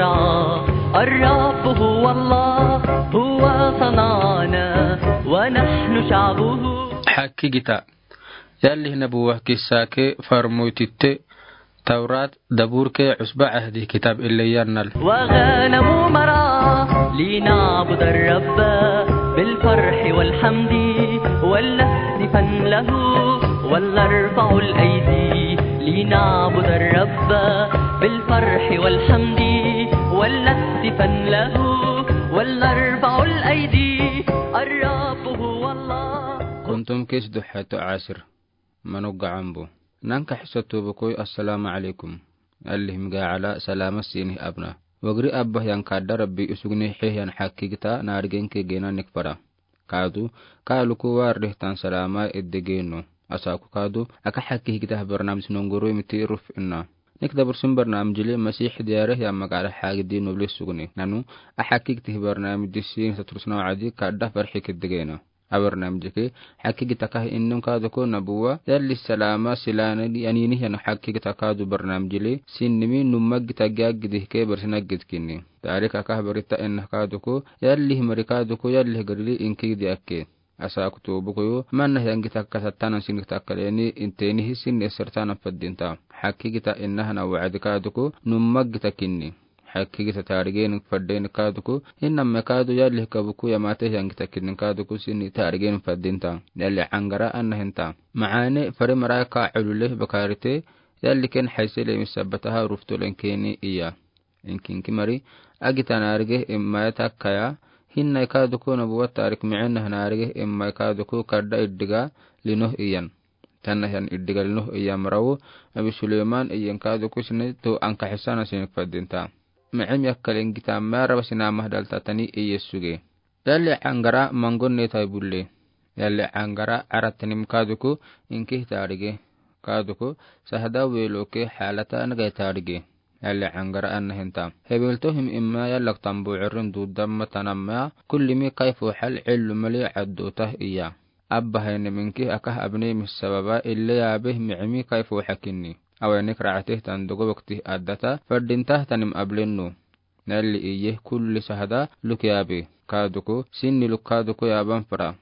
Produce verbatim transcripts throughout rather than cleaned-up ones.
الرب هو الله، هو صنعنا ونحن شعبه. Haki gita. Yalli nabuwa kissa ke farmoy titte, Tawrat, Dabur ke, Usba Ahdi kitab ille yannal. وغنم مرعى لنعبد الرب بالفرح والحمد ولنهتفن له ولنرفع الأيدي لنعبد الرب بالفرح والحمد ولنهتفن له ولنرفع الأيدي. الرب هو الله. Kuntum kis duhatu asir. Manu gacanbu. Nanka hisa tubukoy, assalamu alaikum. Allihim ga ala salama sinih abna. Wagri abba yang kada Rabbi usugni hiyan haki gita narigen ke gena nikpara. Kadu, kaluku warih tan salama edegeno. Asaku kadu, aka haki gita barnamij nonguru miti ruf inna. Nik dabursin barnamij le Masih diare yang magara hagi di nubli sugni. Nanu, a haki gita barnamij di sin satrusna wadi kada farhi kedegena. A barnamij ke, haki gita kah innun kaduku nabuwa, yalli salama silana di anini yan haki gita kadu barnamij le, sinnimi numma gita gagi dih ke barsina git kini. Tarik akah barita inna kaduku, yalli himari kaduku, yalli garili inki di akke. Asa kutubu kuyu, manna yang gita kasatanan sin gita kaleni, inteni hi sin esertanan faddinta. Haki gita inna hana wa'adi kaduku, numma gita kini. Haki gita tarigen fadden kaduku, hinna me kadu yalli kabuku yamate yang gita kinin kaduku sini tarigen faddinta. Yalli angara anna hinta. Maane fari maraka ulule bakarite, yalli ken haisele misabataha ruftulen keni iya. Inkinki mari, agita narige immaya takaya, hinna kaduku nabuwa tarik mi'in narige immaya kaduku kadda iddiga linoh iyan. Tanna hiyan iddiga linoh iya marawu, Abi Suleyman iyan kaduku sini tu anka hisana sinik faddinta. Mi'im yakkalen gita mara basina mahdal tatani iya suge. Yalli angara mangon ne tai bulle. Yalli angara aratanim kaduku inki tarige. Kaduku sahada weloke halata nagai tarige. Yalli angara anna hinta. Hebilto him imma yallak tambu irin dudamma tanamma kullimi kaifu hal illu mali addu tah iya. Abba hayne minki akah abne mis sababa ille yabe mi'imi kaifu hakinni. Awenik ra'atih tandugo wakti addata fardintah tanim ablennu. Nalli iye kulli sahada luk yabe. Kaduku sinni luk kaduku yaban fara.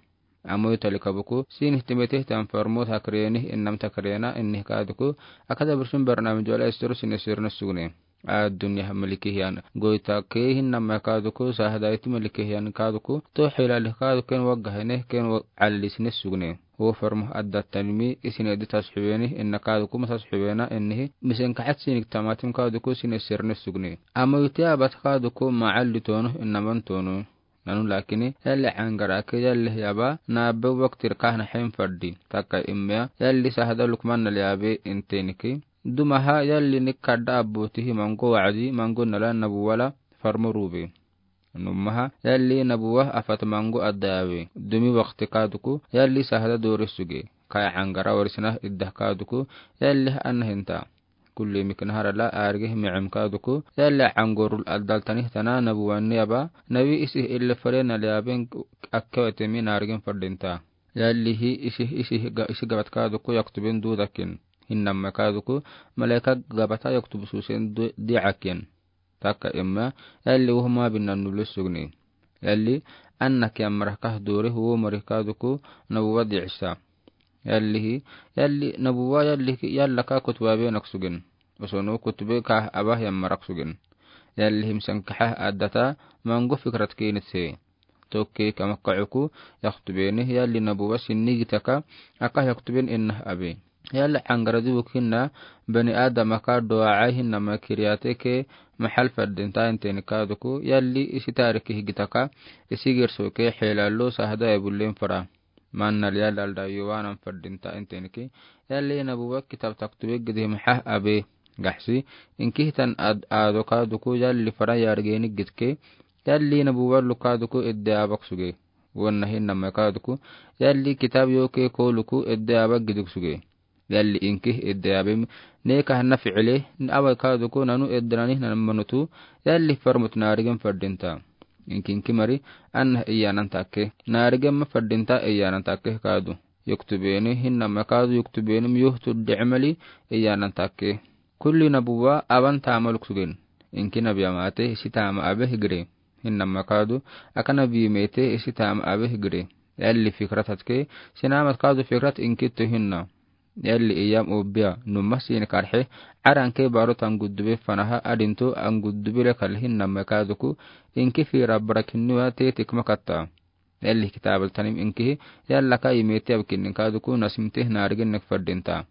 Amoy talikabuku sinih timetih tan farmot hakrenih innam takrena innih kaduku akada bursun barnamij wala istor sinih sirna sugne. Addunya maliki hiyan. Goita ke hinnam kaduku sahada iti maliki hiyan kaduku. To hilali kaduku ken wagga hene ken wa-, alli sinih sugne. Wo farmo adda tanimi isine di tasxibeni inna kaduku ma tasxibena innihi. Misen kaxat sinik tamatim kaduku sinih sirna sugne. Amoy ti abat kaduku ma alli tono innaman tono. Nanu lakini, yalli angara ke yalli yaba, na be waktir kahna hen fardi. Taka imya, yalli sahada lukman nali yabe inteniki. Dumaha, yalli nik kadda abu tihi mango wa'adi, mango nala nabuwala farmo rube. Numaha, yalli nabuwa afat mango adda yabe. Dumi wakti kaduku, yalli sahada dori suge. Kaya angara warisina idda kaduku, yalli anna hinta. Kulli mikna harala arge mi'im kaduku, yalli angorul adal tanih tana nabuwan niyaba, nabi isih ille fare nali aben akkewatemi nargin fardinta. Yalli hi isih, isih ga-, isih gabat kaduku yaktubin dudakin. Hinnam kaduku, malaika gabata yaktubu susen du-, di'akin. Taka imma, yalli wuhma binan nubli sugni. Yalli, anna kiyamrah kah duri huwo marih kaduku, nabuwa di'isa. Yallihi, yalli nabuwa yalli ki yalla ka kutuba be nak sugin. Osono kutube ka abah yammarak sugin. Yallihi misan kahah addata mango fikrat kinit se. Tokke ka makka uku yaktubeni yalli nabuwa sinni gitaka aka yaktuben innah abi. Yalli angara di wukinna bani adama ka doa hinna ma kiriyate ke mahal fardinta inteni kaduku yalli isi tariki higitaka isi girso ke helalo sahada ebullen fara. Manna liya lalda yuwanan fardinta inteniki. Yalli nabuwa kitab taktube gidi maha abe. Gaxsi, inki hitan ad-, ado kaduku yalli fara yargeni gidke. Yalli nabuwa lukaduku edde abak suge. Wanna hinna makaduku. Yalli kitab yoke koluku edde abak giduk suge. Yalli inki edde abem. Neka hanna fi'ile, awa kaduku nanu edde nani nan manutu. Yalli farmut narigen fardinta. Inkinki mari, anna iyanan takke. Narigen ma fardinta iyanan takke kadu. Yuktubeni, hinna ma kadu yuktubeni, miyuhtu di'mali iyanan takke. Kulli nabuwa, aban tamaluk sugen. Inki nabi amate hisi tama abe higire. Hinama kadu, aka nabi mete hisi tama abe higire. Yalli fikratat ke, sinamat kadu fikrat inki tu hinna. Yalli iyam obia, numa sini karhe, aranke baru tan gudube fanaha adintu an gudube le kal hinama kaduku, inki fira barakinua te tikma katta. Yalli kitabal tanim inkihi, yalla ka imeti abkinin kaduku nasimte narigin nek fadinta.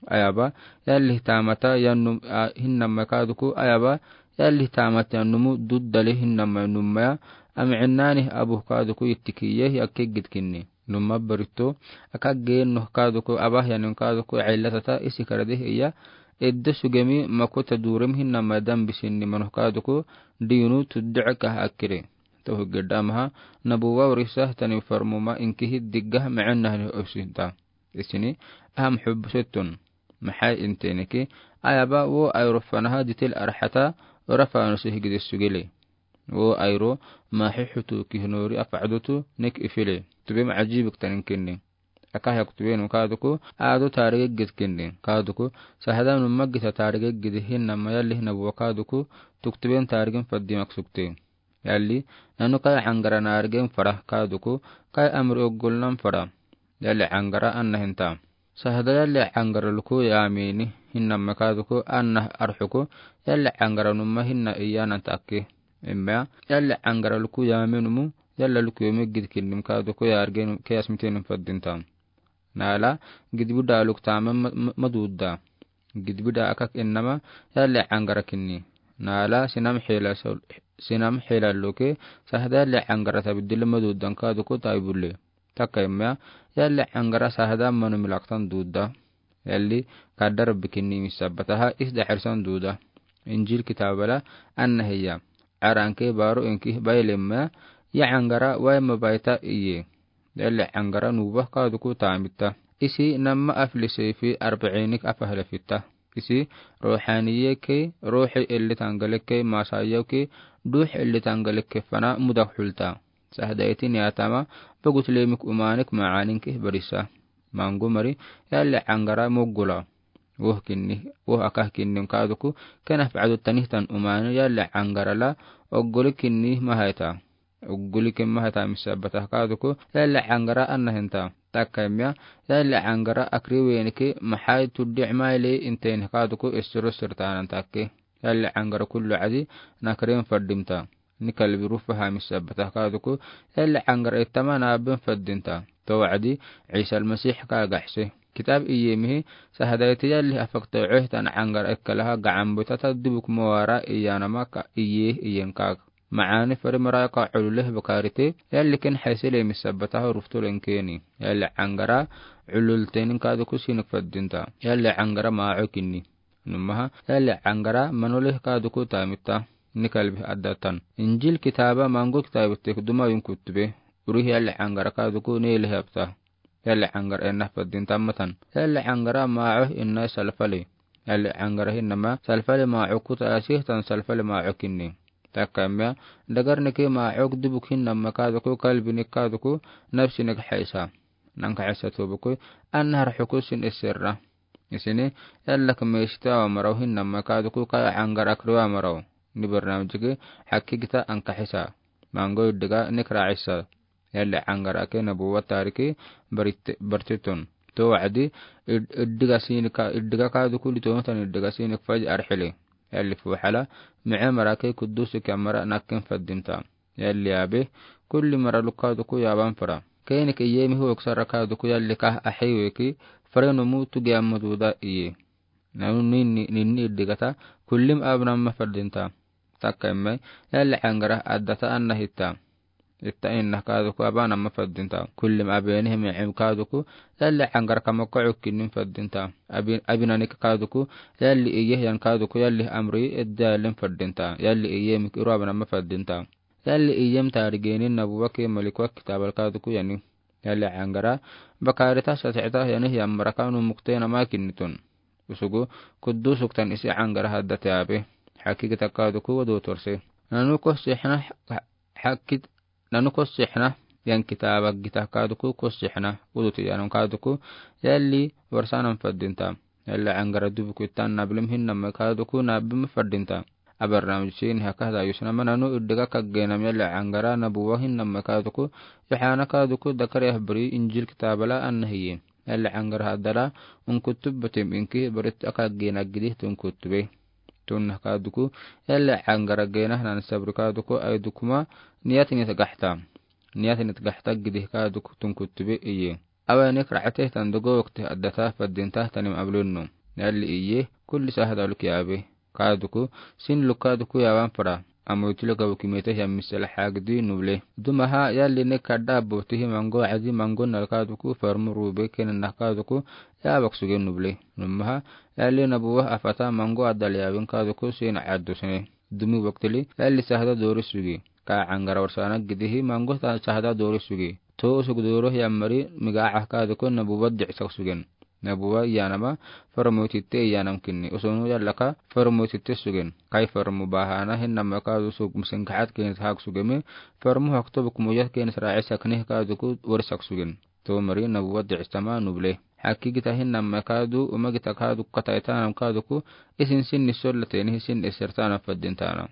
Ayaba, yalli tamata yan num-, a, hinnama kaduku, ayaba, yalli tamata yan numu duddali hinnama numaya, am innani abu kaduku ittikiye yakke gidkinni. Numa barito, aka gen noh kaduku, abah yanin kaduku, illatata isi karade iya, edde sugemi makuta durem hinnama dan bisinni manoh kaduku, dinu tuddu'aka akire. Tohu gedamaha, nabuwa urisa tani farmuma inkihi digga ma'anahni usinta. Isini, aham hubsutun. Maxay inteniki, ayaba wo ayro fanaha ditil arhata, ora fanusi higidi sugile. Wo ayro, maxi hutu kihnori afa'dutu nek ifile. Tubem ajibik taninkinni. Akah yak tubenu kaduku, adu tarige gidkinni. Kaduku, sahada numa gita tarige gidi hinnama yalli nabuwa kaduku, tuktuben tarigin faddi maksukte. Yalli, nanu kay angara narigen fara kaduku, kay amri oggolnan fara. Yalli angara anna hinta. Sahada yalli angara luku yamini, hinnama kaduku, anna arhuku, yalli angara numa hinna iyanan takki. Immea, yalli angara luku yaminumu, yalla luku yomi gidkinnim kaduku yarigen kiyasmitenim faddinta. Nala, gidbida luk tama ma-, ma-, maduda. Gidbida akak innama, yalli angara kinni. Nala, sinam hela sol-, sinam hela luke, sahda yalli angara tabdil madudan kaduku taibule. Takka immea, yalli angara sahda manu milaktan duda. Yalli kadar bikinni misabataha isda hirsan duda. Injil kitabala anna hiya. Aranke baru inki baile immea, ya angara wai mabaita iye. Yalli angara nuba kaduku tamita. Isi nama afli seifi arbainik afahle fita. Isi ruhaniye ke, ruhi illi tangale ke, masaya ke, duh illi tangale ke fana mudak hulta. Sahdaiti niyatama, bagut lemik umanik maanin ke barisa. Mangu mari, yalli angara mogula. Woh kinni, woh akah kinni kaduku, kena fa'adu tanih tan umani yalli angara la, ogguli kinni mahaita. Ogguli kinni mahaita misabatah kaduku, yalli angara anna hinta. Takka immea, yalli angara akri wenike, mahai tuddi imaili inteni kaduku, isuru sirtanan takke. Yalli angara kullu adi, nakrin faddimta. Ni kalbi rufa hamis sabatah kaduku, yalli angara ittama nabin faddinta. To wa'adi, Isa al-Masih ka gaxse. Kitab iyemihi, sahadaiti yalli afakta ueh tan angara ikkalaha ga'an butata dubuk mawara iyanama ka iye iyen kak. Ma'ani fari mara ka ululeh bakarite, yalli ken haisele mis sabataha ruftu lenkeni. Yalli angara ulul tenin kaduku sinik faddinta. Yalli angara ma'o kinni. Numaha, yalli angara manoleh kaduku tamita, ni kalbi addatan. Injil kitaba mangu kitabi tek duma yun kutube, urih yalli angara kaduku neleh apta. Yalli angara enna faddin tamatan. Yalli angara ma'o inna salfali. Yalli angara hinnama salfali ma'o kuta asih tan salfali ma'o kinni. Takka immea, dagar niki ma'o dubuk hinnama kaduku kalbi nik kaduku nafsi nik haisa. Nanka haisa tubuku, anna har hukusin isirra. Isini, yalla ka meshita wa maraw hinnama kaduku kaya angara akriwa maraw. Ni barnamijiki, haki gita anka hisa. Mango iddiga nikra isa. Yalli angara ke nabuwa tariki barit-, bartitun. To wa'adi, id-, iddiga sinika, iddiga kaduku litontan iddiga sinik faj arhili. Yalli fuhala, mi'e mara ke kudusi ke mara nakin faddinta. Yalli abe, kulli mara luk kaduku yaban fara. Kenik iyemi hu oksara kaduku yalli kah ahiweki, fare numu tugi amma duda iye. Nanu ninni, ninni iddigata, kullim abnamma faddinta. Takka immai, yalli angara addata anna hitta. Itta inna kaduku abanamma faddinta. Kullim abeni himi im kaduku, yalli angara kamakko ukkinnin faddinta. Abi-, abinanik kaduku, yalli iye yan kaduku, yalli amri idda yallin faddinta. Yalli iye mik iru abanamma faddinta. Yalli iyem tarigenin nabuwa ke malikwa kitabal kaduku yani. Yalli angara, bakarita sati'ta yani hiyan maraka nu mukte nama kinnitun. Usugu, kuddusuk tan isi angara haddate abe. Haki gita kaduku wadu torse. Nanu kosihna, ha-, hakit, nanu kosihna, yan kitaba gita kaduku kosihna, uduti yanun kaduku, yalli warsanan faddinta. Yalli angara dubuku itan nablim hinnama kaduku nabim faddinta. A barnaamij sini haka hada yusna mananu idega kaggenam yalli Angara nabuwa hinnamma kaduku, Yohana kaduku dakari ahbari Injil kitaabala anna hiye. Yalli Angara hadara unkutubatim inki barit aka gena gidi tunkutubai. Tunna kaduku, yalli Angara gena nan sabri kaduku aidukuma niyatinit gahta. Niyatinit gahta gidi kaduku tunkutubai iye. Awa nek ra'ate tandogo wakti addata faddinta tanim ablunnu. Yalli iye, kulli sahada lukiyaabe. Kaduku, sin lukaduku yawan fara. Amoytilo gabu kimete yammisela hagdi nuble. Dumaha yalli nek kadda abbotihi mango adi mango nal kaduku farmu rube kenen na kaduku yabak suge nuble. Numaha yalli nabuwa afata mango adal yabin kaduku sin addu sene. Dumi waktili yalli sahada dori suge. Ka Angara warsana gidihi mango ta sahada dori suge. To usug doro yammari miga aha kaduku nabuwa di'sak sugen. Nabuwa iyanama farmoytitte iyanam kinni. Usunu yallaka farmoytitte sugen. Kai farmu bahana hinnamma kadu sug misin kahat kenis hak sugemi. Farmu hakto buk muyat kenis ra'i sakni kaduku warisak sugen. To mari nabuwa di'sama nuble. Haki gita hinnamma kadu uma gita kadu kataitanam kaduku isin sin nisolla teni sin isertanam faddintanam.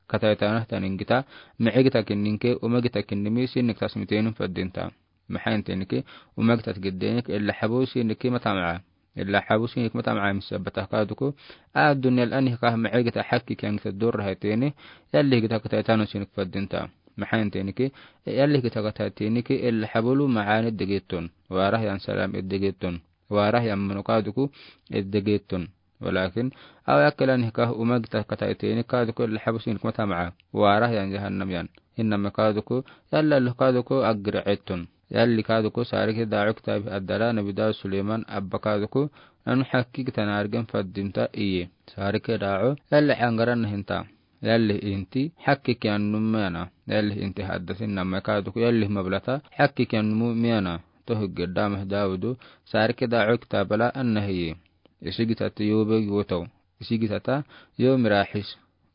Kataitanam tanin gita, mi'i gita kinninke, uma gita kinnimi sinik tasmitenum faddinta. Maxain tenike, uma gita giddenik, illa habu sinike matama'a. Illa habu sinik matama'a misabata kaduku. A dunyal anih kah mi'i gita hakki kiyan gita dorra haiteni, yalli gita kataitanam sinik faddinta. Maxain tenike, yalli gita kataitenike, illa habulu ma'ani degeton. Warah yan salam degeton. Warah yan manu kaduku degeton. Walakin, awa yakkela nih kah uma gita kataiteni kaduku illa habu sinik matama'a. Warah yan jahannam yan. Hinnamma kaduku, yalla luh kaduku agri eton. Yalli kaduku sarike da'u kitabi addara nabi Dawud Suleiman abba kaduku, nanu hakki gita nargen faddinta iye. Sarike da'u, yalli Angara nahinta. Yalli inti hakki kiyan num miyana. Yalli inti haddasin namma kaduku, yalli mablata hakki kiyan num miyana. Toh gedda mah Dawudu, sarike da'u kitabala anna hiye. Isi gitata yobe yotau. Isi gitata yo mirahis.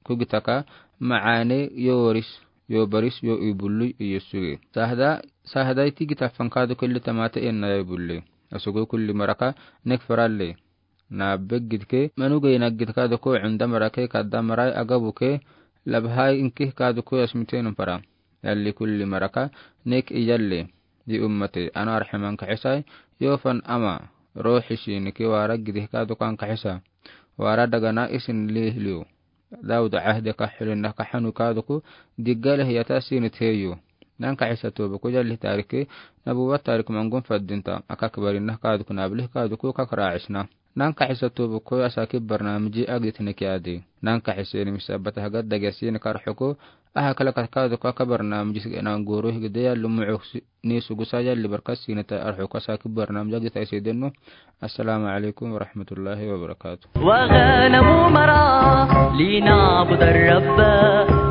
Ku gitaka ma'ane yo waris, yo baris, yo ibullu iyo suge. Sahda, sahda iti gita fan kaduku illi tamate enna yo ibulle. Asugu kulli maraka nek faralle. Na beggidke, manu gayna gidka doko unda marake kadda marai agabuke, labhai inki kaduku asmitenum fara. Yalli kulli maraka nek iyalli. Di ummate, ana arhaman kahisai, yo fan ama, rohi sinike wara gidihka dokan kahisa. Wara dagana isin lihliu. Dawud ahde kahilin na kahanu kaduku, diggale hiyata sinit heyu. Nan kahisa tobuku yalli tarike, nabuwa tarik mangun faddinta, akak barin na kaduku nablih kaduku kak raisna. Nan kahisa tobuku asaki barnamiji agdit nekiadi. Nan kahisa ni misabata hagad dagasi ni karhuku, aha kala kat kaduku aka barnamiji nan guru higde yalli mu'uksi. Ni sugusa yalli barkas sinita arhuka saki barnamij agdit aisedennu. السلام عليكم ورحمة الله وبركاته. وغنم مرعى لنعبد الرب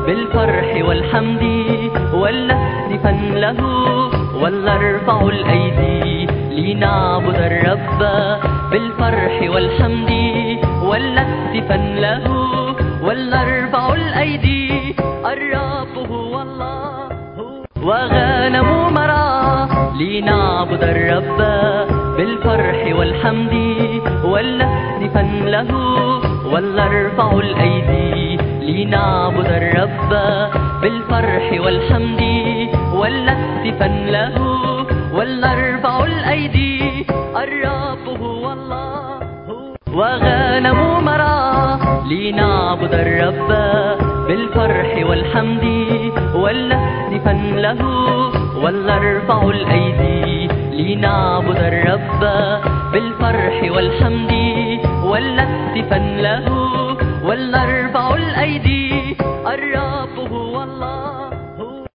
بالفرح والحمد ولنهتفا له ولنرفع الأيدي لنعبد الرب بالفرح والحمد ولنهتفا له ولنرفع الأيدي الرب هو الله. وغنم مرعى لنعبد الرب بالفرح والحمد ولنهتفا له ولنرفع الأيدي لنعبد الرب بالفرح والحمد ولنهتفا له ولنرفع الأيدي الرب هو الله. وغنم مرعى لنعبد الرب بالفرح والحمد ولنهتفا له ولنرفع الأيدي لنعبد الرب بالفرح والحمد ولنهتفا له ولنرفع الأيدي